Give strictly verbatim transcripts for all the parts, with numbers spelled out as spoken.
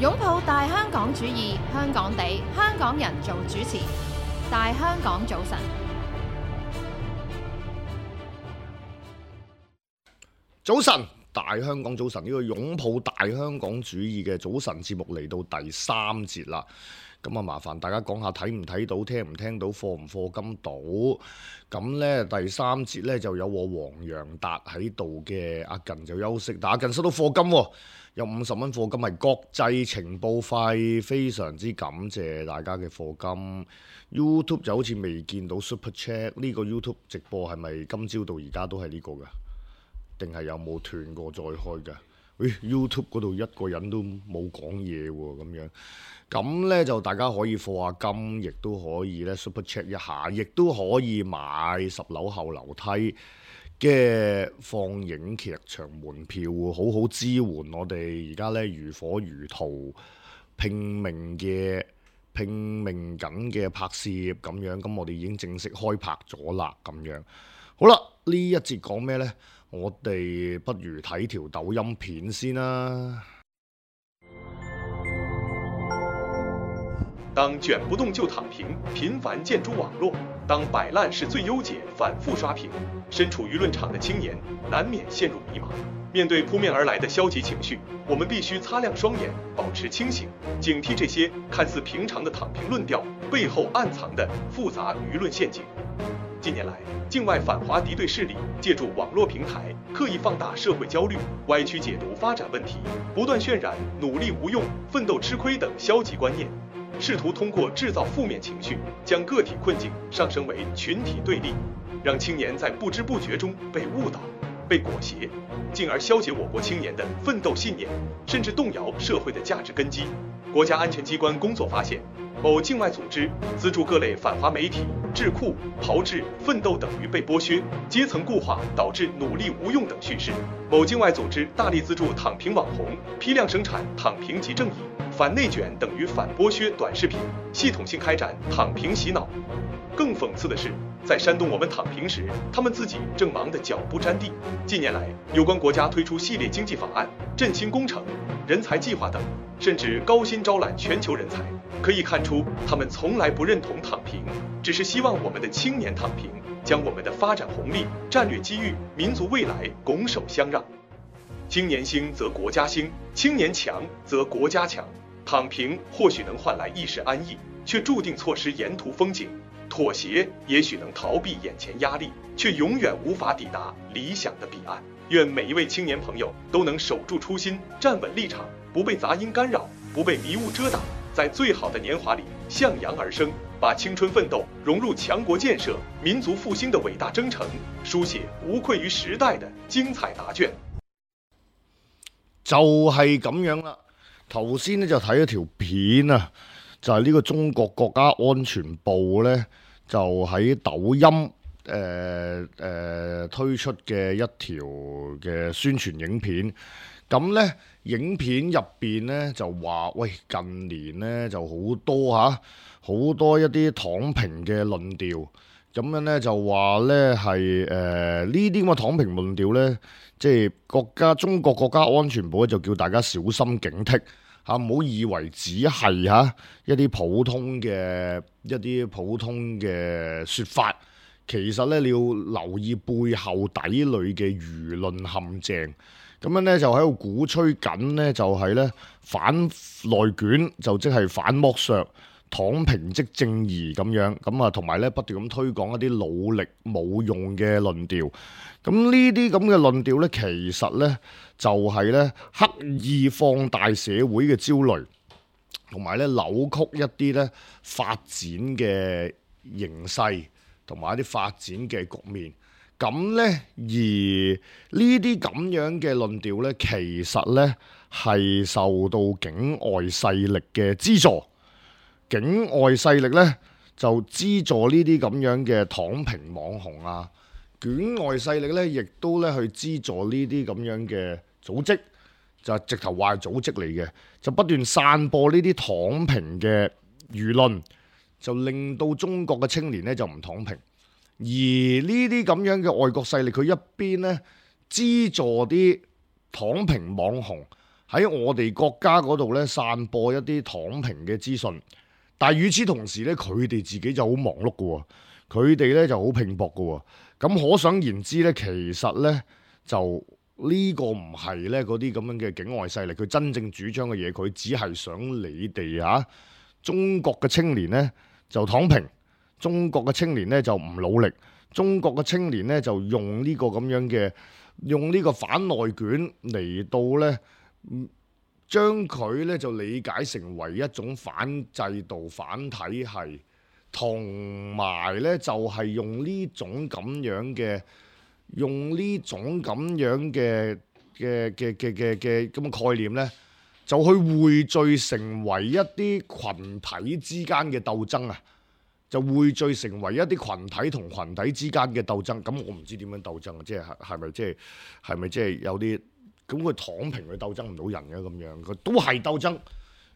擁抱大香港主義，香港地，香港人做主持。大香港早晨，早晨，大香港早晨，呢個擁抱大香港主義嘅早晨節目嚟到第三節啦。咁啊，麻煩大家講下睇唔睇到、聽唔聽到、課唔課金到。咁呢第三節呢就有我黃洋達喺度嘅，阿近就休息，但阿近收到課金喎，有五十蚊課金係國際情報費，非常之感謝大家嘅課金。YouTube 就好似未見到 Super Chat， 呢個 YouTube 直播係咪今朝到而家都係呢個㗎？定係有冇斷過再開㗎？誒 YouTube 嗰度一個人都冇講嘢喎，咁樣咁呢就大家可以課下金，亦都可以呢 Super Chat 一下，亦都可以買十樓後樓梯嘅放映劇場門票，好好支援我哋而家呢如火如荼拼命嘅拼命緊嘅拍攝咁樣。咁我哋已經正式開拍咗啦，咁樣好啦。呢一節講咩呢？我哋不如睇條抖音片先啦。當捲不動就躺平，頻繁建築網絡；當擺爛是最優解，反覆刷屏，身處輿論場的青年難免陷入迷茫。面對撲面而來的消極情緒，我們必須擦亮雙眼，保持清醒，警惕這些看似平常的躺平論調背後暗藏的複雜輿論陷阱。近年來，境外反華敵對勢力借助網絡平台，刻意放大社會焦慮，歪曲解讀發展問題，不斷渲染努力無用、奮鬥吃虧等消極觀念，試圖通過製造負面情緒，將個體困境上升為群體對立，讓青年在不知不覺中被誤導、被裹挾，進而消解我國青年的奮鬥信念，甚至動搖社會的價值根基。國家安全機關工作發現，某境外組織資助各類反華媒體、智庫、炮製、奮鬥等於被剝削、階層固化導致努力無用等敘事。某境外組織大力資助躺平網紅，批量生產躺平即正義、反內捲等於反剝削短視頻，系統性開展躺平洗腦。更諷刺的是，在煽動我們躺平時，他們自己正忙得腳不沾地。近年來，有關國家推出系列經濟法案、振興工程、人才計劃等，甚至高薪招攬全球人才，可以看出他們從來不認同躺平，只是希望我們的青年躺平，將我們的發展紅利、戰略機遇、民族未來拱手相讓。青年興則國家興，青年強則國家強。躺平或許能換來一時安逸，卻注定錯失沿途風景。妥協也許能逃避眼前壓力，卻永遠無法抵達理想的彼岸。願每一位青年朋友都能守住初心，站穩立場，不被雜音干擾，不被迷霧遮擋，在最好的年華裡向陽而生，把青春奮鬥融入強國建設、民族復興的偉大征程，書寫無愧於時代的精彩答卷。就係咁樣啦。頭先咧就睇咗條片啊，就係、是、呢個中國國家安全部呢，就喺抖音誒誒、呃呃、推出嘅一條嘅宣傳影片。咁呢影片入邊呢，就話，喂，近年呢就好多嚇，好多一啲躺平嘅論調。咁樣呢，就話呢係誒呢啲咁嘅躺平論調呢，即係國家中國國家安全部咧就叫大家小心警惕嚇，唔好以為只係嚇一啲普通嘅一啲普通嘅説法，其實呢，你要留意背後底裏嘅輿論陷阱。咁樣呢，就喺度鼓吹緊呢，就係呢反內卷，就即係反剝削。躺平即正義咁樣，咁啊同埋咧不斷咁推廣一啲努力冇用嘅論調。咁呢啲咁嘅論調咧，其實咧就係咧刻意放大社會嘅焦慮，同埋咧扭曲一啲咧發展嘅形勢，同埋一啲發展嘅局面。咁咧而呢啲咁樣嘅論調咧，其實咧係受到境外勢力嘅資助。境外勢力咧就資助呢啲咁樣嘅躺平網紅啊，境外勢力咧亦都咧去資助呢啲咁樣嘅組織，就直頭話係組織嚟嘅，就不斷散播呢啲躺平嘅輿論，就令到中國嘅青年咧就唔躺平。而呢啲咁樣嘅外國勢力，佢一邊咧資助啲躺平網紅喺我哋國家嗰度咧散播一啲躺平嘅資訊，但係與此同時咧，佢哋自己就好忙碌嘅喎，佢哋咧就好拼搏嘅喎。咁可想而知咧，其實咧就呢個唔係咧嗰啲咁樣嘅境外勢力，佢真正主張嘅嘢，佢只係想你哋嚇、啊、中國嘅青年咧就躺平，中國嘅青年咧就唔努力，中國嘅青年咧就用呢個咁樣嘅用呢個反內卷嚟到咧。將佢咧就理解成為一種反制度、反體系，同埋咧就係、是、用呢種咁樣嘅，用呢種咁樣嘅嘅嘅嘅嘅嘅咁嘅概念咧，就去匯聚成為一啲群體之間嘅鬥爭啊！就匯聚成為一啲群體同群體之間嘅鬥爭。咁我唔知點樣鬥爭啊！即係係咪即係係咪即係有啲？咁佢躺平佢鬥爭唔到人嘅咁樣，佢都係鬥爭，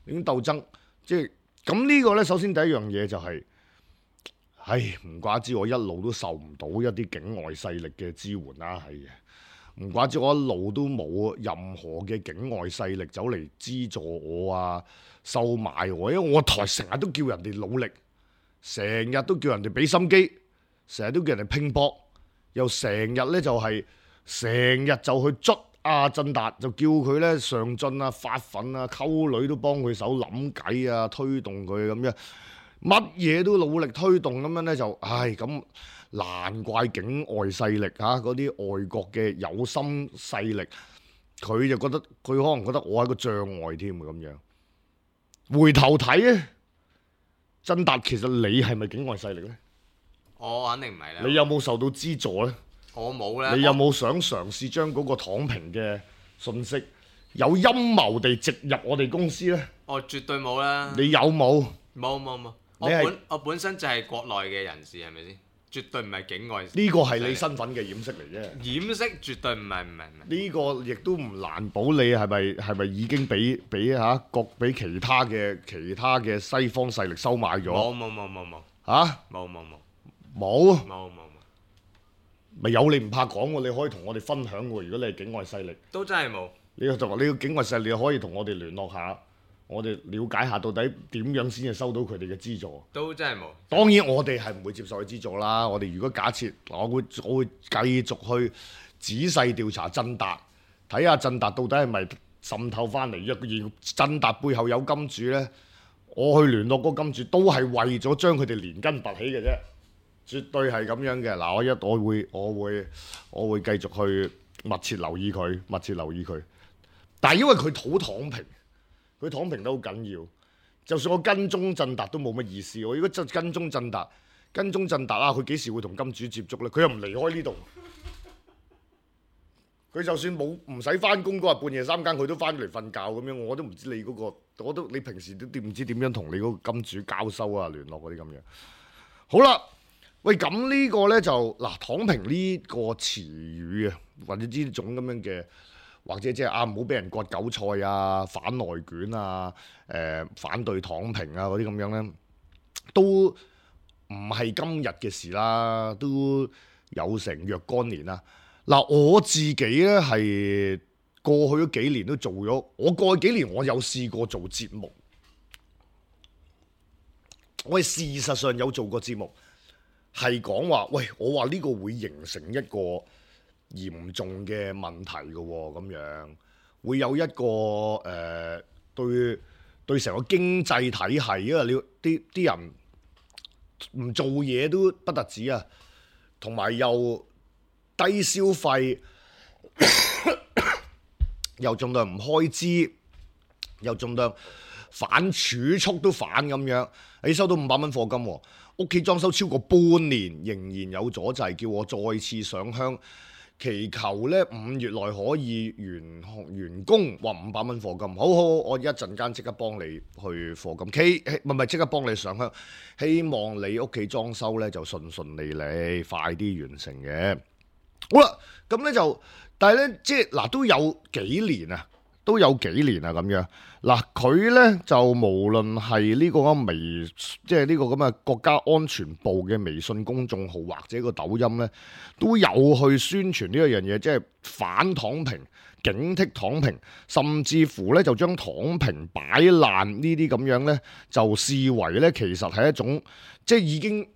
已經鬥爭，即係咁呢個咧。首先第一樣嘢就係、是，唉，唔怪之我一路都受唔到一啲境外勢力嘅支援啦，係嘅。唔怪之我一路都冇任何嘅境外勢力走嚟資助我啊、收買我，因為我台成日都叫人哋努力，成日都叫人哋俾心機，成日都叫人哋拼搏，又成日咧就係成日就去捽。阿振達就叫佢咧上進啊、發奮啊、溝女都幫佢手諗計啊、推動佢咁樣，乜嘢都努力推動咁樣咧就，唉咁難怪境外勢力嚇嗰啲外國嘅有心勢力，佢就覺得佢可能覺得我係個障礙添咁樣。回頭睇咧，振達其實你係咪境外勢力咧？我肯定唔係啦。你有冇受到資助咧？我冇咧。你有冇想嘗試將嗰個躺平嘅信息有陰謀地植入我哋公司咧？我絕對冇啦。你有冇？冇冇冇。我本我本身就係國內嘅人士，係咪先？絕對唔係境外。呢個係你身份嘅掩飾嚟啫。掩飾絕對唔係唔係唔係。呢個亦都唔難保你係咪係咪已經俾俾嚇各俾其他嘅其他嘅西方勢力收買咗？冇冇冇冇冇。嚇？冇冇冇。冇？冇冇冇。咪有你唔怕講喎，你可以同我哋分享喎。如果你係境外勢力，都真係冇。你就話你個境外勢力可以同我哋聯絡下，我哋了解下到底點樣先至收到佢哋嘅資助。都真係冇。當然我哋係唔會接受佢資助啦。我哋如果假設我會我會繼續去仔細調查振達，睇下振達到底係咪滲透翻嚟，而振達背後有金主呢，我去聯絡嗰個金主都係為咗將佢哋連根拔起嘅啫。絕對係咁樣嘅。嗱，我一我會我會我會繼續去密切留意佢，密切留意佢。但係因為佢好躺平，佢躺平得好緊要。就算我跟蹤振達都冇乜意思。我如果真跟蹤振達，跟蹤振達啊，佢幾時會同金主接觸呢？佢又唔離開呢度。佢就算冇唔使翻工嗰日半夜三更，佢都翻嚟瞓覺咁樣。我都唔知你嗰個，我都你平時都唔知點樣同你嗰個金主交收啊、聯絡嗰啲咁樣。好啦。喂，咁呢個呢，就嗱，躺平呢個詞語啊，或者呢種咁樣嘅，或者即係啊唔好俾人割韭菜啊、反內卷啊、誒、呃、反對躺平啊嗰啲咁樣呢，都唔係今日嘅事啦，都有成若干年啦。嗱，我自己呢，係過去嗰幾年都做咗，我過去幾年我有試過做節目，我係事實上有做過節目。係講話，喂，我話呢個會形成一個嚴重嘅問題嘅喎，咁樣會有一個誒、呃、對對成個經濟體系，因為你啲啲人唔做嘢都不特止啊，同埋又低消費，又盡量唔開支，又盡量反儲蓄都反咁樣，你收到五百蚊課金喎。屋企裝修超過半年，仍然有阻滯，叫我再次上香，祈求咧五月內可以完完工，話五百蚊課金。好好，我一陣間即刻幫你去課金，希唔係唔係即刻幫你上香，希望你屋企裝修咧就順順利利，快啲完成嘅。好啦，咁咧就，但係咧即係嗱都有幾年啊，都有幾年啦咁樣。嗱，佢呢就無論係呢個咁微，即係呢個咁嘅國家安全部嘅微信公眾號或者個抖音呢，都有去宣傳呢一樣嘢，即係反躺平、警惕躺平，甚至乎呢就將躺平擺爛呢啲咁樣呢，就視為呢其實係一種即係已經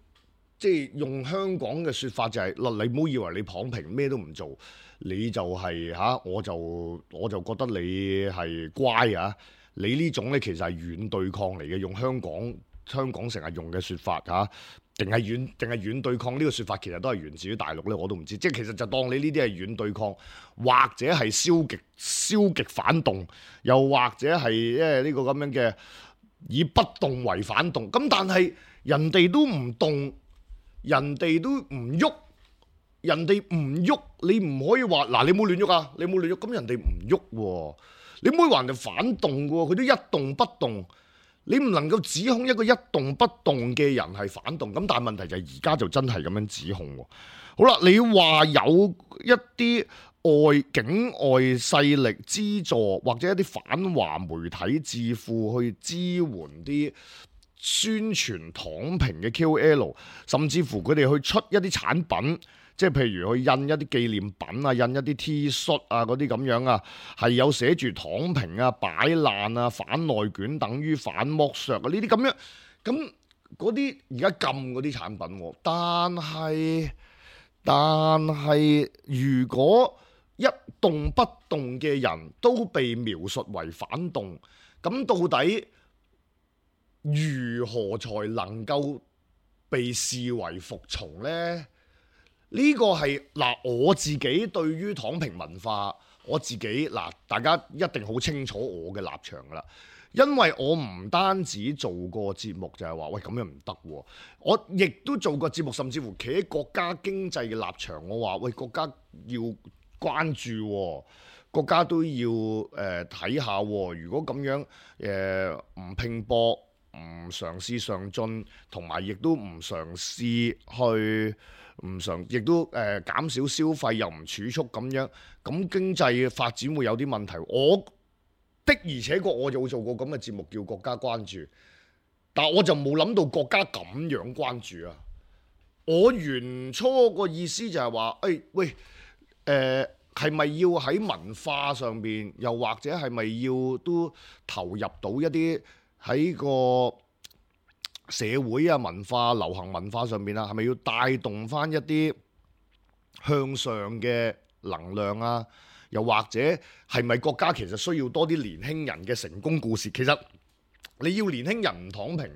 即係用香港嘅説法就係、是、嗱，你唔好以為你躺平咩都唔做，你就係、是、嚇、啊，我就我就覺得你係乖啊！你呢種呢，其實係軟對抗嚟嘅，用香港香港成日用嘅説法嚇，定係軟定係軟對抗呢個説法，其實都係源自於大陸呢，我都唔知。即係其實就當你呢啲係軟對抗，或者係消極消極反動，又或者係即係呢個咁樣嘅以不動為反動。咁但係人哋都唔動，人哋都唔喐，人哋唔喐，你唔可以話嗱，你冇亂喐啊，你冇亂喐，咁人哋唔喐喎。你唔可以話人哋反動嘅喎，佢都一動不動，你唔能夠指控一個一動不動嘅人係反動。咁但係問題就係而家就真係咁樣指控喎。好啦，你話有一啲外境外勢力資助或者一啲反華媒體智庫去支援啲宣傳躺平嘅 K O L， 甚至乎佢哋去出一啲產品。即係譬如去印一啲紀念品啊，印一啲 T 恤啊嗰啲咁樣啊，係有寫住躺平啊、擺爛啊、反內卷等於反剝削啊呢啲咁樣，咁嗰啲而家禁嗰啲產品喎，但係但係如果一動不動嘅人都被描述為反動，咁到底如何才能夠被視為服從呢？呢個係嗱，我自己對於躺平文化，我自己嗱，大家一定好清楚我嘅立場噶啦，因為我唔單止做過節目就係話，喂咁樣唔得喎，我亦都做過節目，甚至乎企喺國家經濟嘅立場，我話喂國家要關注喎，國家都要誒睇下喎，如果咁樣誒唔拼搏，唔嘗試上進，同埋亦都唔嘗試去。唔常，亦都誒、呃、減少消費，又唔儲蓄咁樣，咁經濟發展會有啲問題。我的而且確我就做過咁嘅節目，叫國家關注，但我就冇諗到國家咁樣關注啊！我原初個意思就係話，誒、哎、喂，誒係咪要喺文化上邊，又或者係咪要都投入到一啲喺個社會啊、文化、流行文化上面啊，係咪要帶動翻一啲向上嘅能量啊？又或者係咪國家其實需要多啲年輕人嘅成功故事？其實你要年輕人唔躺平，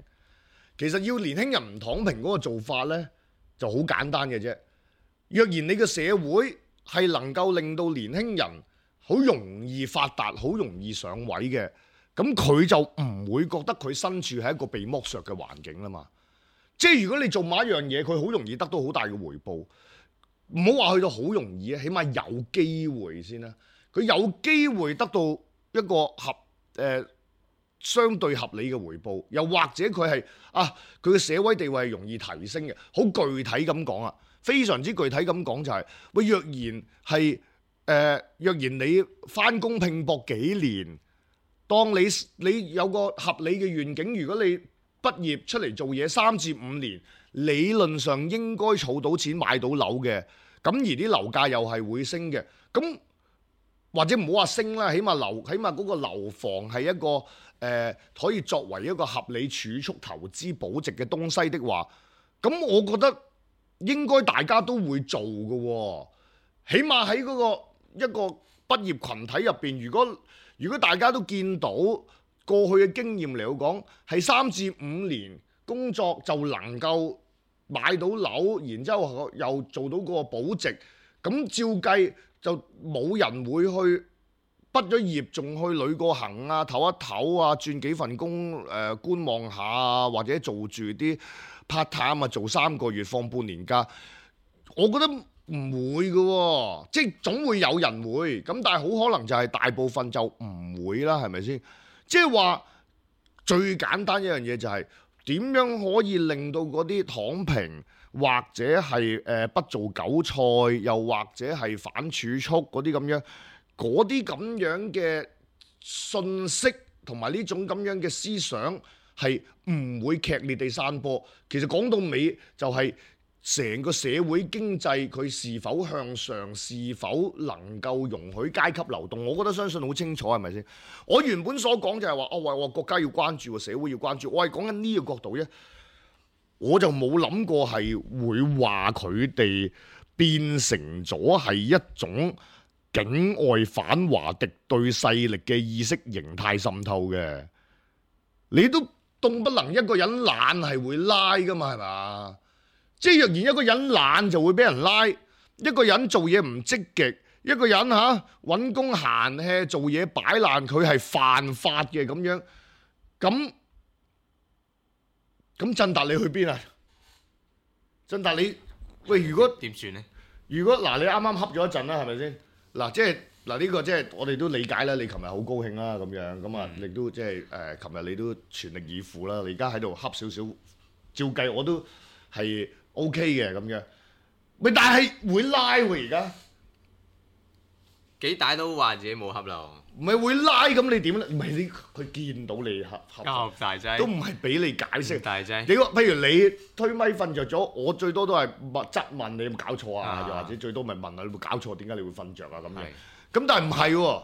其實要年輕人唔躺平嗰個做法呢就好簡單嘅啫。若然你嘅社會係能夠令到年輕人好容易發達、好容易上位嘅，咁佢就唔會覺得佢身處喺一個被剝削嘅環境啦嘛。即係如果你做某一樣嘢，佢好容易得到好大嘅回報，唔好話去到好容易啊，起碼有機會先啦。佢有機會得到一個合誒、呃、相對合理嘅回報，又或者佢係啊佢嘅社會地位係容易提升嘅。好具體咁講啊，非常之具體咁講就係、是、喂，若然係誒、呃、若然你返工拼搏幾年。當你你有個合理嘅願景，如果你畢業出嚟做嘢三至五年，理論上應該儲到錢買到樓嘅，咁而啲樓價又係會升嘅，咁或者唔好話升啦，起碼樓起碼嗰個樓房係一個誒、呃、可以作為一個合理儲蓄投資保值嘅東西的話，咁我覺得應該大家都會做嘅喎，起碼喺嗰個一個畢業群體入邊，如果如果大家都見到過去嘅經驗嚟講，係三至五年工作就能夠買到樓，然之後又做到個保值，咁照計就冇人會去畢咗業仲去旅過行啊、唞一唞啊、轉幾份工誒、呃、觀望下啊，或者做住啲 part time 啊，做三個月放半年假，我覺得唔會嘅喎，即係總會有人會，咁但係好可能就係大部分就唔會啦，係咪先？即係話最簡單一樣嘢就係點樣可以令到嗰啲躺平或者係誒不做韭菜，又或者係反儲蓄嗰啲咁樣，嗰啲咁樣嘅信息同埋呢種咁樣嘅思想係唔會劇烈地散播。其實講到尾就係成個社會經濟佢是否向上，是否能夠容許階級流動，我覺得相信好清楚，係咪先？我原本所講就係話，哦，喂，我國家要關注，社會要關注，我係講緊呢個角度啫。我就冇諗過係會話佢哋變成咗係一種境外反華敵對勢力嘅意識形態滲透嘅。你都動不能一個人懶係會拉噶嘛，係嘛？即係若然一個人懶就會俾人拉，一個人做嘢唔積極，一個人嚇揾工閒氣做嘢擺爛，佢係犯法嘅咁樣。咁咁振達你去邊啊？振達你喂，如果點算呢？如果嗱，你啱啱恰咗一陣啦，係咪先？嗱，即係嗱呢個即係我哋都理解啦。你琴日好高興啦，咁樣咁啊，你都即係誒，琴日你都全力以赴啦。你而家喺度恰少少，照計我都係 OK 嘅咁樣。喂，但係會拉喎而家，幾大都話自己冇恰啦。唔係會拉咁你點咧？唔係你佢見到你恰恰，交大劑都唔係俾你解釋。大劑。你譬如你推咪瞓着咗，我最多都係問質問你有冇搞錯啊？又、啊、或者最多咪問下你有冇搞錯？點解你會瞓着啊？咁樣。咁但係唔係喎？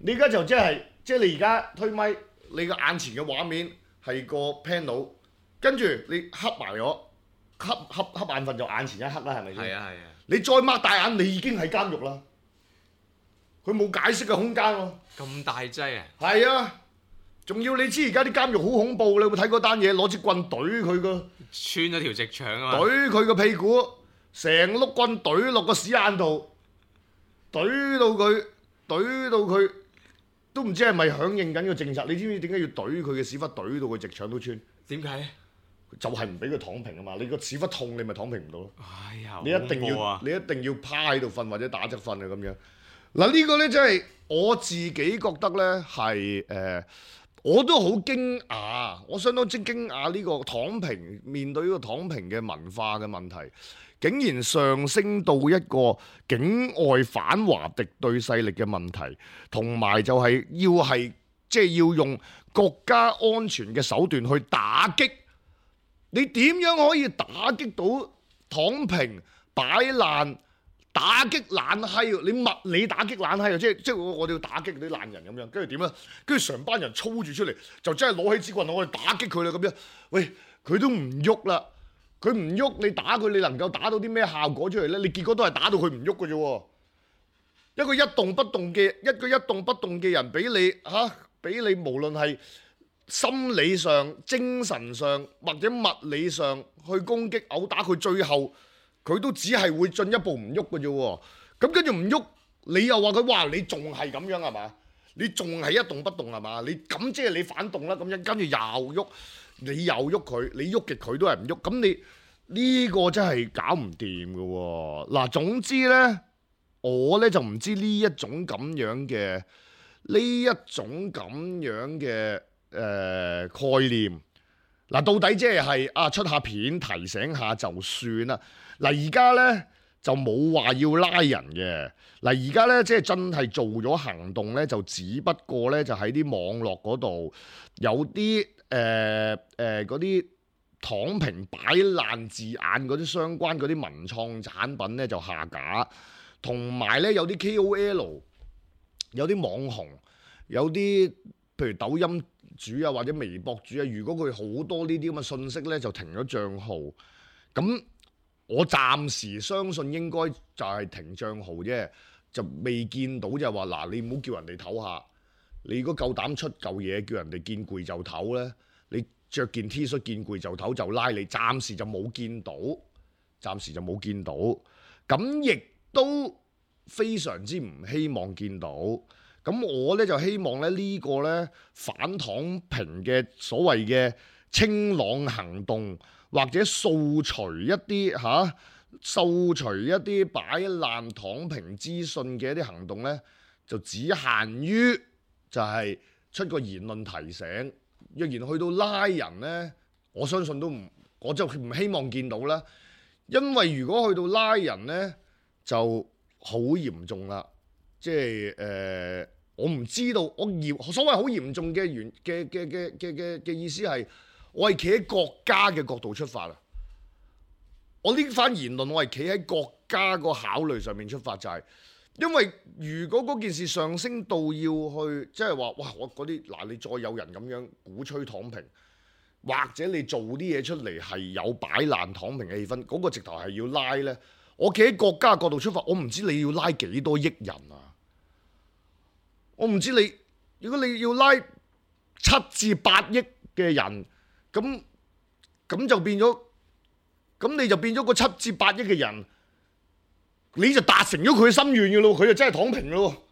你而家就即係即係你而家推咪，你個眼前嘅畫面係個 panel， 跟住你黑埋咗，黑黑黑眼瞓就眼前一黑啦，係咪先？係啊係啊。你再擘大眼，你已經喺監獄啦。佢冇解釋嘅空間喎。咁大劑啊！係啊，仲要你知而家啲監獄好恐怖，你有冇睇嗰單嘢？攞支棍懟佢個，穿咗條直腸啊嘛！懟佢個屁股，成碌棍懟落個屎眼度，懟到佢，懟到佢都唔知係咪響應緊個政策？你知唔知點解要懟佢嘅屎忽懟到佢直腸都穿？點解？就係唔俾佢躺平啊嘛！你個屎忽痛，你咪躺平唔到咯。哎呀，你一定要，啊、你一定要趴喺度瞓或者打側瞓啊咁樣。嗱呢個呢，真係我自己覺得呢係誒，我都好驚訝，我相當之驚訝呢個躺平面對呢個躺平嘅文化嘅問題，竟然上升到一個境外反華敵對勢力嘅問題，同埋就係要係即係要用國家安全嘅手段去打擊。你點樣可以打擊到躺平擺爛？打擊爛閪，你物理打擊爛閪啊！即係即係我我哋要打擊啲爛人咁樣，跟住點咧？跟住成班人操住出嚟，就真係攞起支棍我哋打擊佢啦咁樣。喂，佢都唔喐啦，佢唔喐，你打佢，你能夠打到啲咩效果出嚟咧？你結果都係打到佢唔喐嘅啫。一個一動不動嘅一個一動不動嘅人，俾你嚇，俾你無論係心理上、精神上或者物理上去攻擊、毆打佢，最後。佢都只係會進一步唔喐嘅啫喎，咁跟住唔喐，你又話佢哇，你仲係咁樣係嘛？你仲係一動不動係嘛？你咁即係你反動啦，咁樣跟住又喐，你又喐佢，你喐極佢都係唔喐，咁你呢個真係搞唔掂嘅喎。嗱，總之呢，我呢就唔知呢一種咁樣嘅呢一種咁樣嘅誒、呃、概念。嗱，到底即係啊出下片提醒下就算啦。嗱，而家呢就冇話要拉人嘅。嗱，而家呢即係真係做咗行動呢，就只不過呢就喺啲網絡嗰度有啲誒誒嗰啲躺平擺爛字眼嗰啲相關嗰啲文創產品呢就下架，同埋呢有啲 K O L、有啲網紅、有啲譬如抖音主啊或者微博主啊，如果佢好多呢啲咁嘅信息呢，就停咗賬號。咁我暫時相信應該就係停賬號啫，就未見到就係話嗱，你唔好叫人哋唞下。你如果夠膽出嚿嘢叫人哋見攰就唞呢，你着件 T 恤見攰就唞就拉你，暫時就冇見到，暫時就冇見到。咁亦都非常之唔希望見到。咁我呢就希望咧呢個呢反躺平嘅所謂嘅清朗行動，或者掃除一啲嚇、啊、掃除一啲擺爛躺平資訊嘅一啲行動呢，就只限於就係出個言論提醒。若然去到拉人呢，我相信都唔，我就唔希望見到啦。因為如果去到拉人呢，就好嚴重啦。即係誒我唔知道，我嚴所謂好嚴重嘅原嘅嘅嘅嘅嘅嘅意思係，我係企喺國家嘅角度出發啊！我呢番言論，我係企喺國家個考慮上面出發，就係、是、因為如果嗰件事上升到要去，即係話哇，我嗰啲嗱，你再有人咁樣鼓吹躺平，或者你做啲嘢出嚟係有擺爛躺平嘅氣氛，嗰、那個直頭係要拉呢。我企喺國家角度出發，我唔知你要拉幾多億人啊！我唔知你，如果你要拉七至八億嘅人，咁咁就變咗，咁你就變咗個七至八億嘅人，你就達成咗佢嘅心願嘅咯，佢就真係躺平咯。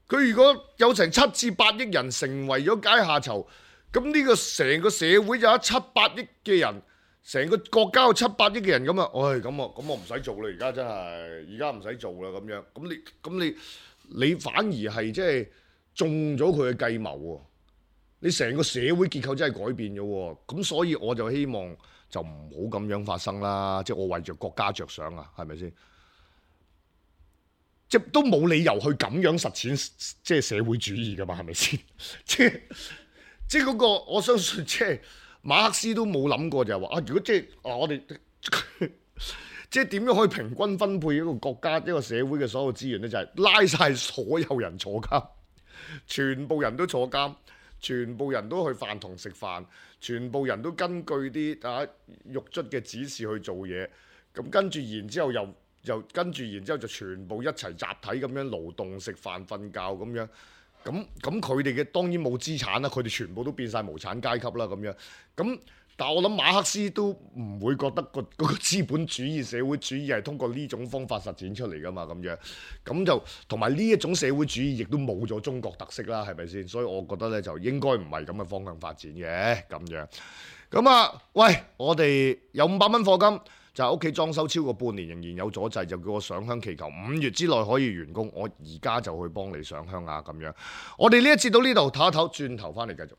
佢如果有成七至八億人成為咗階下囚，咁呢個成個社會就有七八億嘅人。成個國家有七八億嘅人咁啊，唉、哎，咁啊，咁我唔使做啦，而家真係，而家唔使做啦咁樣。咁你，咁你，你反而係即係中咗佢嘅計謀喎。你成個社會結構真係改變咗喎。咁所以我就希望就唔好咁樣發生啦。即係我為着國家着想啊，係咪先？即係都冇理由去咁樣實踐即係社會主義噶嘛，係咪先？即係即係嗰個，我相信即係。馬克思都冇諗過就係話啊，如果即係啊，我哋即係點樣可以平均分配一個國家一個社會嘅所有資源呢？就係、是、拉晒所有人坐監，全部人都坐監，全部人都去飯堂食飯，全部人都根據啲啊獄卒嘅指示去做嘢，咁跟住然之後又又跟住然之後就全部一齊集體咁樣勞動食飯瞓覺咁樣。咁咁佢哋嘅當然冇資產啦，佢哋全部都變晒無產階級啦咁樣。咁但係我諗馬克思都唔會覺得個嗰個資本主義社會主義係通過呢種方法實踐出嚟噶嘛咁樣。咁就同埋呢一種社會主義亦都冇咗中國特色啦，係咪先？所以我覺得咧就應該唔係咁嘅方向發展嘅咁樣。咁啊，喂，我哋有五百蚊課金。就係屋企裝修超過半年仍然有阻滯，就叫我上香祈求五月之內可以完工。我而家就去幫你上香啊咁樣。我哋呢一節到呢度唞一唞，轉頭翻嚟繼續。